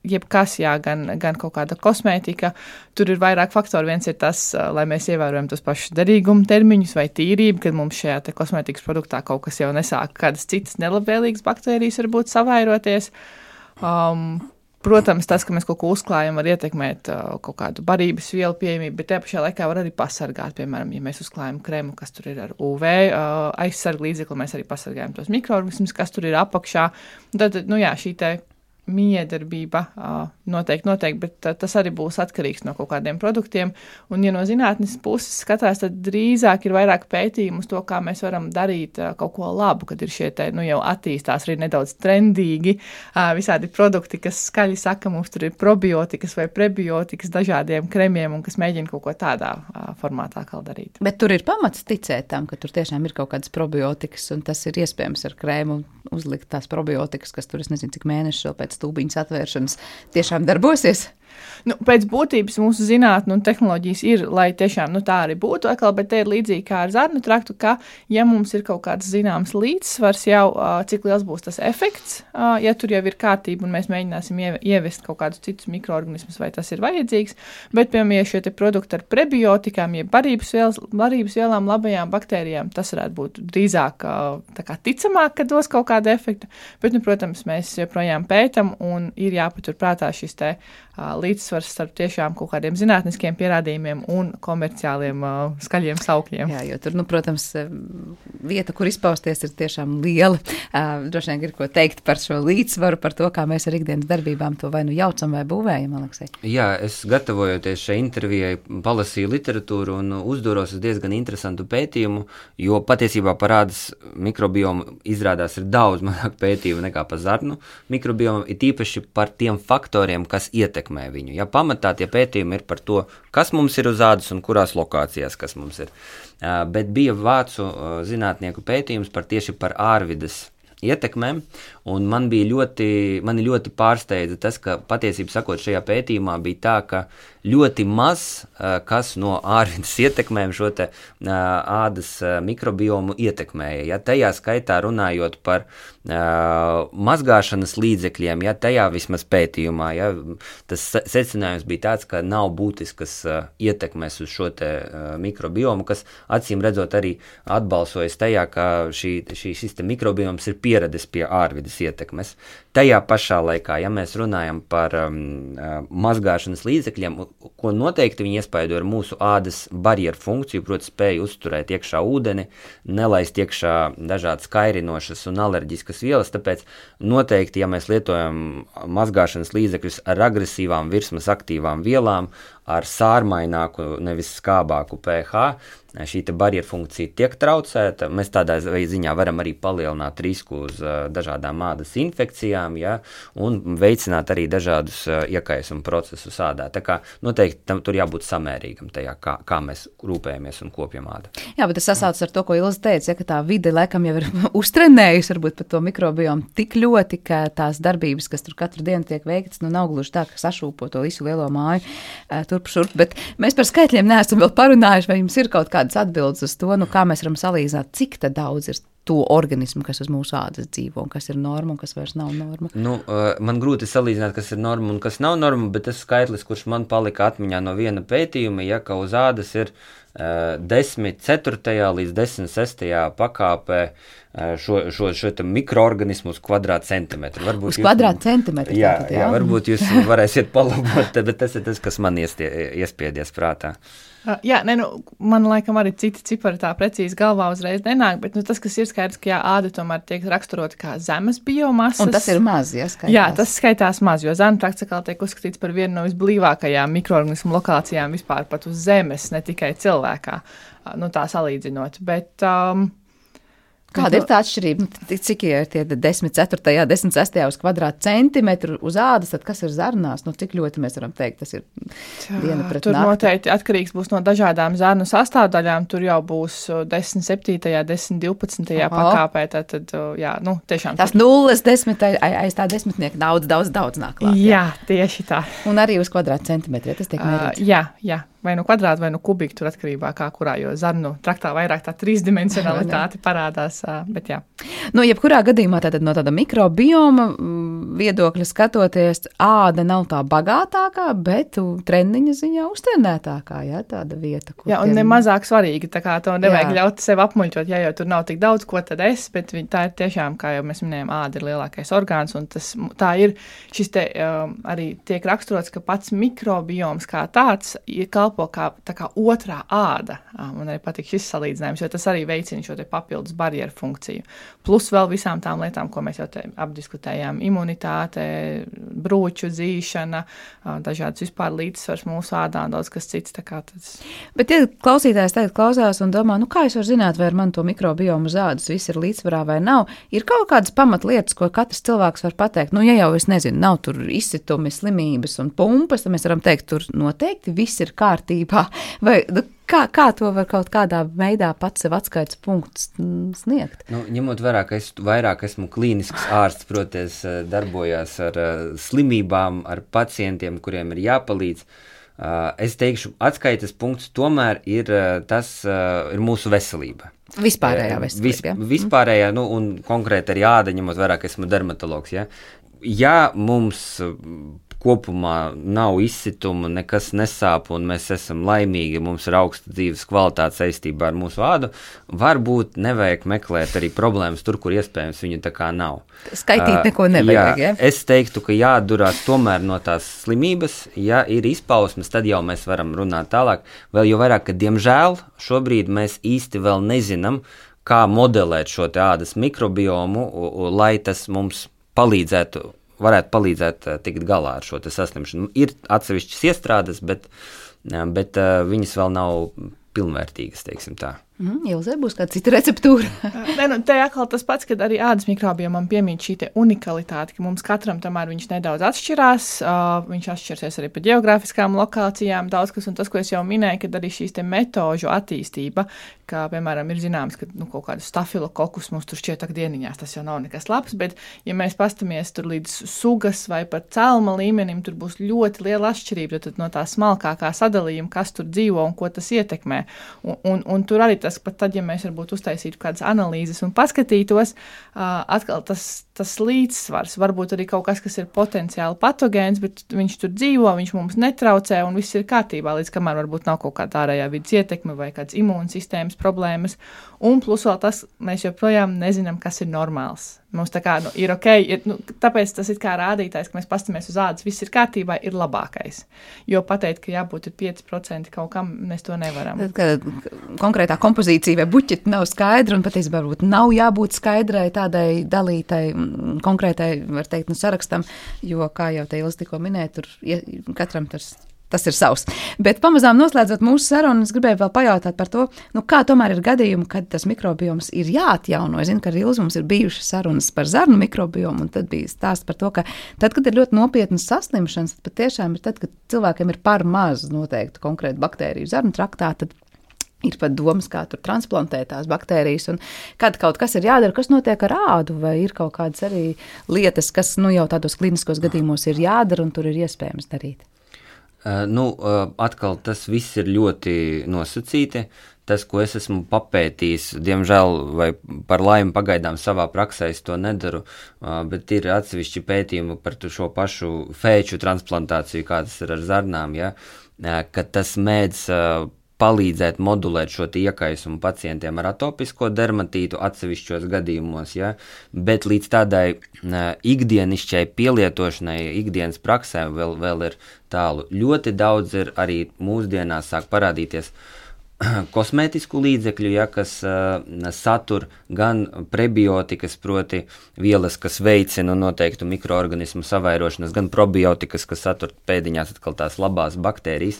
jebkas, jā, gan, gan kaut kāda kosmētika, tur ir vairāk faktori. Viens ir tas, lai mēs ievērojam tos pašus derīguma termiņus vai tīrību, kad mums šajā te kosmētikas produktā kaut kas jau nesāk kādas citas nelabvēlīgas baktērijas varbūt savairoties. Um, Protams, tas, ka mēs kaut ko uzklājam, var ietekmēt uh, kaut kādu barības vielu pieejamību, bet tajā pašā laikā var arī pasargāt. Piemēram, ja mēs uzklājam krēmu, kas tur ir ar U V uh, aizsargu līdzekli, mēs arī pasargājam tos mikroorganismus, kas tur ir apakšā. Tad, nu jā, šī te miedarbība uh, noteikti, noteikti, bet uh, tas arī būs atkarīgs no kaut kādiem produktiem. Un, ja no zinātnes puses skatās, tad drīzāk ir vairāk pētījumu uz to, kā mēs varam darīt uh, kaut ko labu, kad ir šie te, nu, jau attīstās arī nedaudz trendīgi uh, visādi produkti, kas skaļi saka, mums tur ir probiotikas vai prebiotikas dažādiem kremiem un kas mēģina kaut ko tādā uh, formātā kā darīt. Bet tur ir pamats ticēt tam, ka tur tiešām ir kaut kādas probiotikas un tas ir iespējams ar krēmu uzlikt tās probiotikas, kas tur, es nezinu, cik mēneši vēl pēc stūbiņas atvēršanas tiešām darbosies? Nu, pēc būtības mūsu zinātne un tehnoloģijas ir, lai tiešām nu, tā arī būtu, atkal, bet te ir līdzīgi kā ar zarnu traktu, ka, ja mums ir kaut kāds zināms līdzsvars jau, cik liels būs tas efekts, ja tur jau ir kārtība un mēs mēģināsim ievest kaut kādus citus mikroorganismus, vai tas ir vajadzīgs, bet, piemēram, ja šie te produkti ar prebiotikām, ja barības, vielas, barības vielām, labajām baktērijām, tas varētu būt drīzāk tā kā ticamāk, ka dos kaut kādu efektu, bet, nu, protams, mēs joprojām pētam un ir jāpatur prātā šis te līdzsvars starp tiešām kaut kādiem zinātniskiem pierādījumiem un komerciāliem uh, skaļiem saukļiem. Jā, jo tur, nu, protams, vieta, kur izpausties, ir tiešām liela. Uh, droši vien ir ko teikt par šo līdzsvaru, par to, kā mēs ar ikdienas darbībām to vai nu jaucam vai būvējam, Aleksej. Jā, es gatavojoties šai intervijai palasīju literatūru un uzduros uz diezgan interesantu pētījumu, jo patiesībā par ādas mikrobiomu izrādās ir daudz mazāk pētījumu nekā par zarnu mikrobiomu, ir īpaši par tiem faktoriem, kas ietekmē viņu. Ja pamatā tie pētījumi ir par to, kas mums ir uz ādas un kurās lokācijās, kas mums ir. Bet bija vācu zinātnieku pētījums par tieši par ārvides ietekmēm, un man bija ļoti, mani ļoti pārsteidza tas, ka patiesībā sakot šajā pētījumā bija tā, ka ļoti maz kas no ārvidas ietekmēm šo te ādas mikrobiomu ietekmēja. Ja, tajā skaitā runājot par uh, mazgāšanas līdzekļiem, ja, tajā vismaz pētījumā, ja, tas secinājums bija tāds, ka nav būtiskas uh, ietekmes uz šo te uh, mikrobiomu, kas acīm redzot arī atbalsojas tajā, ka šī, šī, šis te mikrobioms ir pieradis pie ārvidas ietekmes. Tajā pašā laikā, ja mēs runājam par um, mazgāšanas līdzekļiem, ko noteikti viņi iespaido ar mūsu ādas barjeru funkciju, proti spēju uzturēt iekšā ūdeni, nelaist iekšā dažādas kairinošas un alerģiskas vielas, tāpēc noteikti, ja mēs lietojam mazgāšanas līdzekļus ar agresīvām virsmas aktīvām vielām, ar sārmaināku, nevis skābāku pH, šī te barjeru funkcija tiek traucēta. Mēs tādā ziņā varam arī palielināt risku uz uh, dažādām ādas infekcijām, ja, un veicināt arī dažādus uh, iekaisumu procesus ādā. Tā kā noteikti tam tur jābūt samērīgam tajā, kā, kā mēs rūpējamies un kopjam ādu. Jā, bet tas sasaucas ar to, ko Ilze teica, ja, ka tā vide laikam jau ir uztrenējusi varbūt par to mikrobiomu tik ļoti, ka tās darbības, kas tur katru dienu tiek veiktas, nu nav gluži tā, ka sašūpo to visu lielo māju uh, turp šurp, bet mēs par skaitļiem neesam vēl parunājuši, vai jums ir kaut kādas atbildes uz to, nu kā mēs varam salīdzināt, cik tad daudz ir to organismu, kas uz mūsu ādas dzīvo, un kas ir norma, un kas vairs nav norma. Nu, man grūti salīdzināt, kas ir norma un kas nav norma, bet tas skaitlis, kurš man palika atmiņā no viena pētījuma, ja, ka uz ādas ir uh, desmit ceturtajā līdz desmit sestajā pakāpē uh, šo, šo, šo mikroorganismu uz kvadrātcentimetru. Varbūt uz kvadrātcentimetru? Jā, tātad, jā, jā, varbūt jūs varēsiet palabot, bet tas ir tas, kas man iestie, iespiedies prātā. Uh, jā, ne, nu, man laikam arī citi cipari tā precīzi galvā uzreiz nenāk, bet nu, tas, kas ir skaidrs, ka jā, āda tomēr tiek raksturota kā zemes biomasas. Un tas ir maz, ja skaitās. Jā, tas skaitās maz, jo zeme praktikāli tiek uzskatīts par vienu no visblīvākajām mikroorganismu lokācijām vispār pat uz zemes, ne tikai cilvēkā, uh, nu tā salīdzinot, bet... Um, Kāda ir tā atšķirība? Nu, cik ir tie desmit ceturtajā, desmit sestajā uz kvadrātcentimetru uz ādas, tad kas ir zarnās? Nu, cik ļoti mēs varam teikt, tas ir diena pret tur nakti? Tur noteikti atkarīgs būs no dažādām zarnu sastāvdaļām. Tur jau būs desmit septītajā, desmit divpadsmitajā pakāpē. Tad, tad, jā, nu, tiešām. Tas nulles desmit, aiz tā desmitnieka daudz, daudz, daudz nāk klāt. Jā, tieši tā. Un arī uz kvadrātcentimetru, ja tas tiek mērīts? Uh, jā, jā. Vai nu kvadrāti, vai nu kubiki, tur atkarībā kā kurā, jo zarnu traktā vairāk tā trīsdimensionalitāte parādās, bet jā. Nu, jebkurā gadījumā tātad no tāda mikrobioma viedokļa skatoties, āda nav tā bagātākā, bet treniņa ziņā uztrenētākā, jā, tāda vieta, kur... Jā, un tiem... nemazāk svarīga, tā kā to nevajag jā. ļaut sev apmuļķot, jā, jo tur nav tik daudz, ko tad es, bet tā ir tiešām, kā jau mēs minējām, āda ir lielākais orgāns, un tas, tā ir, šis te um, arī tiek raksturots, ka pats mikrobioms kā tāds ir kalpo kā, tā kā otrā āda. Man arī patīk šis salīdzinājums, jo tas arī veicina šo te papildus barjeru funkciju. Plus vēl visām tām lietām, ko mēs jau te apdiskutējām, imunitāte, brūču dzīšana, dažādas vispār līdzsvars mūsu ādā un daudz kas cits. Tā kā tas... Bet, ja klausītājs tagad klausās un domā, nu kā es varu zināt, vai ar man to mikrobiomu uz ādas viss ir līdzsvarā vai nav, ir kaut kādas pamatlietas, ko katrs cilvēks var pateikt. Nu, ja jau es nezinu, nav tur izsitumi, slimības un pumpas, tad mēs varam teikt, tur noteikti viss ir kārtībā. Vai, nu, kā, kā to var kaut kādā veidā pats sev atskaites punktus sniegt? Nu, ņemot vērā, ka es vairāk esmu klīnisks ārsts, proties darbojās ar slimībām, ar pacientiem, kuriem ir jāpalīdz, es teikšu, atskaites punkts tomēr ir tas, ir mūsu veselība. Vispārējā veselība, Vis, ja? Vispārējā, nu, un konkrēti arī āda, ņemot vērā, ka esmu dermatologs, ja? Ja mums kopumā nav izsituma, nekas nesāp un mēs esam laimīgi, mums ir augsta dzīves kvalitāte saistībā ar mūsu ādu, varbūt nevajag meklēt arī problēmas tur, kur iespējams viņu tā kā nav. Skaitīt neko nevajag, jā, ja? Es teiktu, ka jāatdurās tomēr no tās slimības, ja ir izpausmes, tad jau mēs varam runāt tālāk. Vēl jau vairāk, ka diemžēl šobrīd mēs īsti vēl nezinām, kā modelēt šo te ādas mikrobiomu, lai tas mums palīdzētu, varētu palīdzēt tikt galā ar šo te saslimšanu. Ir atsevišķas iestrādes, bet, bet viņas vēl nav pilnvērtīgas, teiksim tā. Mm, Ilze, būs kāda cita receptūra? Nē, nu, te atkal tas pats, kad arī ādas mikrobiomam piemīt šī te unikalitāte, ka mums katram tomēr viņš nedaudz atšķirās, uh, viņš atšķirsies arī pa geogrāfiskām lokācijām, daudz kas, un tas, ko es jau minēju, kad arī šīs te metožu attīstība, kā, piemēram, ir zināms, ka nu, kaut kādu stafilokokus mums tur šķiet dieniņās, tas jau nav nekas labs, bet, ja mēs pastamies tur līdz sugas vai pat celma līmenim, tur būs ļoti liela atšķirība, tad no tā smalkākā sadalījuma, kas tur dzīvo un ko tas ietekmē. Un, un, un tur arī tas, pat tad, ja mēs varbūt uztaisītu kādas analīzes un paskatītos, uh, atkal tas, tas līdzsvars, varbūt arī kaut kas, kas ir potenciāli patogēns, bet viņš tur dzīvo, viņš mums netraucē un viss ir kārtībā, līdz kamēr varbūt nav kaut kāda ārējā vidas ietekme vai kāds imūnsistēmas problēmas. Un plus vēl tas, mēs joprojām nezinām, kas ir normāls. Mums tā kā nu, ir ok, ir, nu, tāpēc tas ir kā rādītājs, ka mēs pastamies uz ādas, viss ir kārtībā, ir labākais. Jo pateikt, ka jābūt ir pieci procenti kaut kam, mēs to nevaram. Tad, kad konkrētā kompozīcija vai buķeti nav skaidra un patiesībā varbūt nav jābūt skaidrai tādai dalītai konkrētai, var teikt, nu, sarakstam, jo, kā jau te Ilze tikko minēja, tur katram tas Tas ir savs. Bet pamazām noslēdzot mūsu sarunu, es gribēju vēl pajautāt par to, nu, kā tomēr ir gadījumi, kad tas mikrobioms ir jāatjauno. Es zinu, ka ar Ilzi mums ir bijušas sarunas par zarnu mikrobiomu, un tad bija stāsts par to, ka tad, kad ir ļoti nopietnas saslimšanas, tad patiešām ir tad, kad cilvēkiem ir par maz noteikti konkrēti baktēriju zarnu traktā, tad ir pat domas, kā tur transplantēt tās baktērijas, un kad kaut kas ir jādara, kas notiek ar ādu, vai ir kaut kādas arī lietas, kas, nu, jau tādos kliniskos gadījumos ir jādara, un tur ir iespējams darīt. Uh, nu, uh, atkal tas viss ir ļoti nosacīti. Tas, ko es esmu papētījis, diemžēl vai par laimi pagaidām savā praksē es to nedaru, uh, bet ir atsevišķi pētījumi par šo pašu fēču transplantāciju, kā tas ir ar zarnām, ja? uh, ka tas mēdz uh, palīdzēt modulēt šo iekaisumu pacientiem ar atopisko dermatītu atsevišķos gadījumos, ja? Bet līdz tādai uh, ikdienišķai pielietošanai, ikdienas praksē vēl, vēl ir tālu. Ļoti daudz ir arī mūsdienās sāk parādīties kosmētisku līdzekļu, ja, kas uh, satur gan prebiotikas, proti vielas, kas veicina noteiktu mikroorganismu savairošanas, gan probiotikas, kas satur pēdiņās atkal tās labās baktērijas.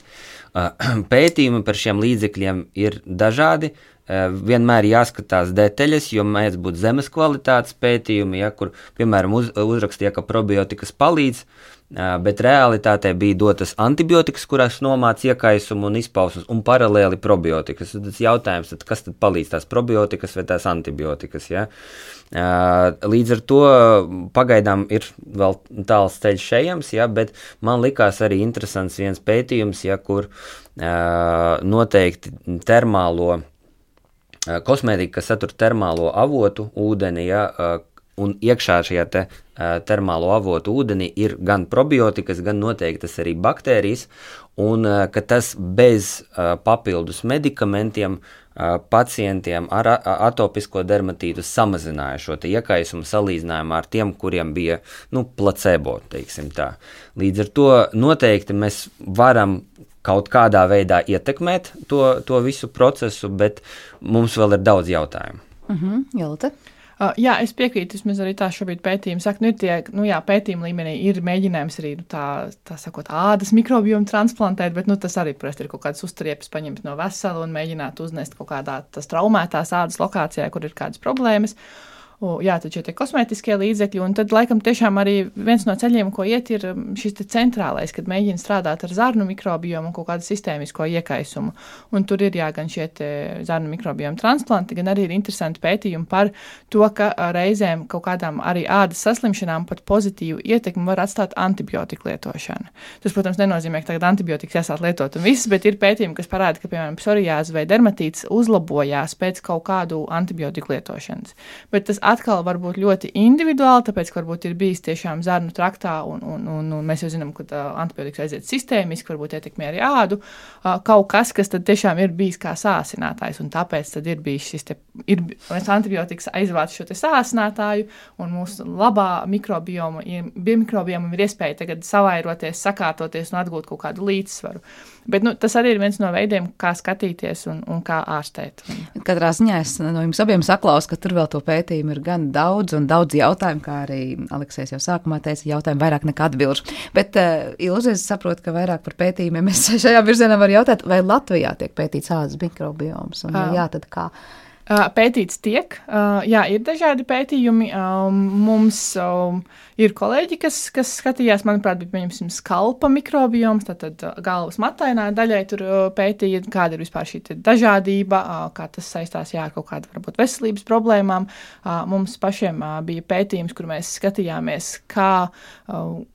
Uh, pētījumi par šiem līdzekļiem ir dažādi. Uh, vienmēr jāskatās detaļas, jo mēdz būt zemes kvalitātes pētījumi, ja, kur, piemēram, uz, uzrakstīja, ka probiotikas palīdz, uh, bet realitātē bija dotas antibiotikas, kurās nomāc iekaisumu un izpausmes, un paralēli probiotikas. Tas jautājums, tad, kas tad palīdz, tās probiotikas vai tās antibiotikas, ja? Uh, līdz ar to pagaidām ir vēl tāls ceļš ejams, ja, bet man likās arī interesants viens pētījums, ja, kur uh, noteikti termālo kosmētika, kas satur termālo avotu ūdeni, ja, un iekšā šajā te termālo avotu ūdeni ir gan probiotikas, gan noteiktas arī baktērijas, un ka tas bez papildus medikamentiem pacientiem ar atopisko dermatītu samazināja šo te iekaisumu salīdzinājumā ar tiem, kuriem bija, nu, placebo, teiksim tā. Līdz ar to noteikti mēs varam kaut kādā veidā ietekmēt to, to visu procesu, bet mums vēl ir daudz jautājumu. Mhm, Jolita? Uh, jā, es piekrītu, vismaz arī tā šobrīd pētījumi saka, nu ir tie, nu jā, pētījuma līmenī ir mēģinājums arī, nu tā, tā sakot, ādas mikrobiomu transplantēt, bet, nu, tas arī, protams, ir kaut kādas uztriepes paņemt no vesela un mēģināt uznest kaut kādā tas traumētās ādas lokācijā, kur ir kādas problēmas. O, jā, tad šie tie kosmētiskie līdzekļi, un tad laikam tiešām arī viens no ceļiem, ko iet, ir šis te centrālais, kad mēģina strādāt ar zarnu mikrobiomu un kaut kādu sistēmisko iekaisumu. Un tur ir jā, gan šie te zarnu mikrobiomu transplanti, gan arī ir interesanti pētījumi par to, ka reizēm kaut kādām arī ādas saslimšanām pat pozitīvu ietekmi var atstāt antibiotiku lietošana. Tas, protams, nenozīmē, ka tagad antibiotikas jāsāt lietot un viss, bet ir pētījumi, kas parāda, ka, piemēram, psoriāze vai dermatīts uzlabojās pēc kaut kādu antibiotiku lietošanas. Bet tas atkal var būt ļoti individuāli, tāpēc, ka varbūt ir bijis tiešām zarnu traktā, un, un, un, un mēs jau zinām, ka uh, antibiotikas aiziet sistēmiski, varbūt ietekmē arī ādu, uh, kaut kas, kas tad tiešām ir bijis kā sāsinātājs, un tāpēc tad ir bijis šis te, ir, antibiotikas aizvāc šo te sāsinātāju, un mūsu labā mikrobioma, mikrobiomam ir iespēja tagad savairoties, sakārtoties un atgūt kaut kādu līdzsvaru. Bet, nu, tas arī ir viens no veidiem, kā skatīties un, un kā ārstēt. Katrā ziņā es no jums abiem saklausu, ka tur vēl to pētījumu ir ir gan daudz un daudz jautājumu, kā arī Aleksējs jau sākumā teica, jautājumu vairāk nekā atbilžu. Bet, uh, Ilze, es saprotu, ka vairāk par pētījumiem es šajā virzienā varu jautāt, vai Latvijā tiek pētīts ādas mikrobioms, un ja jā, tad kā? Pētīts tiek, jā, ir dažādi pētījumi. Mums ir kolēģi, kas, kas skatījās, manuprāt, bija, pieņemsim, skalpa mikrobioms, tātad galvas matainā daļai tur pētīja, kāda ir vispār šī dažādība, kā tas saistās, jā, ar kaut kādu, varbūt, veselības problēmām. Mums pašiem bija pētījums, kur mēs skatījāmies, kā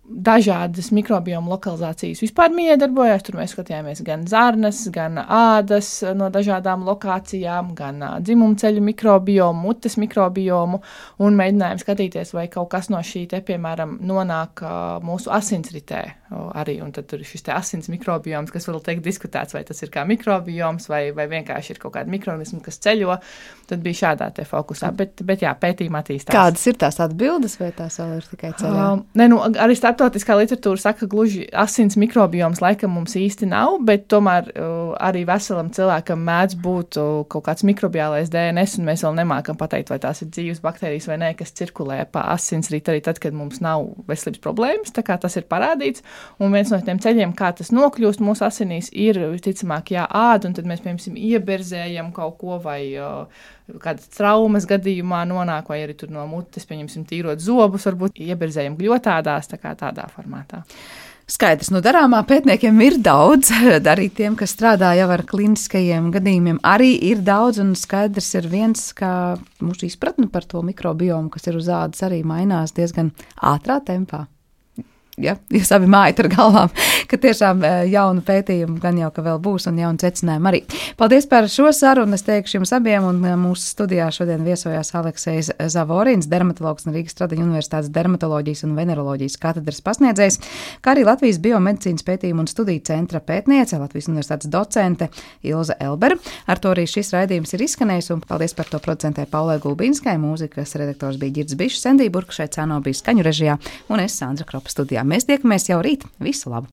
dažādas mikrobioma lokalizācijas vispār miedarbojās. Tur mēs skatījāmies gan zarnas, gan ādas no dažādām lokācijām, gan dzimumceļu mikrobiomu, mutes mikrobiomu, un mēģinājām skatīties, vai kaut kas no šī te, piemēram, nonāk mūsu asinsritē arī, un tad tur ir šis te asins mikrobioms, kas vēl tiek diskutēts, vai tas ir kā mikrobioms, vai, vai vienkārši ir kaut kāda mikroorganisma, kas ceļo. Tad bija šādā te fokusā, bet, bet jā, pētījumā attīstās. Kādas ir tās atbildes, vai tās vēl ir tikai ceļā? Uh, ne, nu, arī starptautiskā literatūra saka, gluži asins mikrobioms laikam mums īsti nav, bet tomēr uh, arī veselam cilvēkam mēdz būt uh, kaut kāds mikrobiālais D N S, un mēs vēl nemākam pateikt, vai tās ir dzīves baktērijas vai nē, kas cirkulē pa asinsrītu arī tad, kad mums nav veselības problēmas, tā kā tas ir parādīts, un viens no tiem ceļiem, kā tas nokļūst mūsu asinīs, ir, visticamāk, jā, āda, un tad mēs, piemēram, ieberzējam kaut ko vai uh, kādas traumas gadījumā nonāk, vai arī tur no mutes, pieņemsim, tīrot zobus, varbūt ieberzējam gļotādās, tā kā tādā formātā. Skaidrs, nu darāmā pētniekiem ir daudz, arī tiem, kas strādā jau ar kliniskajiem gadījumiem, arī ir daudz, un skaidrs ir viens, ka mūsu izpratne par to mikrobiomu, kas ir uz ādas, arī mainās diezgan ātrā tempā. Ja, jūs abi mājat ar galvām, ka tiešām jaunu pētījumu gan jau, ka vēl būs un jaunu secinājumu arī. Paldies par šo sarunu, es teikšu jums abiem, un mūsu studijā šodien viesojās Aleksejs Zavorins, dermatologs no Rīgas Stradiņa Universitātes dermatoloģijas un veneroloģijas katedras pasniedzējs, kā arī Latvijas biomedicīnas pētījumu un studiju centra pētniece, Latvijas Universitātes docente Ilze Elbere. Ar to arī šis raidījums ir izskanējis, un paldies par to producentē Paulai Gulbinskai, mūzikas redaktors bija Girds Bišs, Sendija Burka šeit Cāno bija skaņu režijā, un es Sandra Kropa studijā. Mēs tiekamies jau rīt. Visu labu!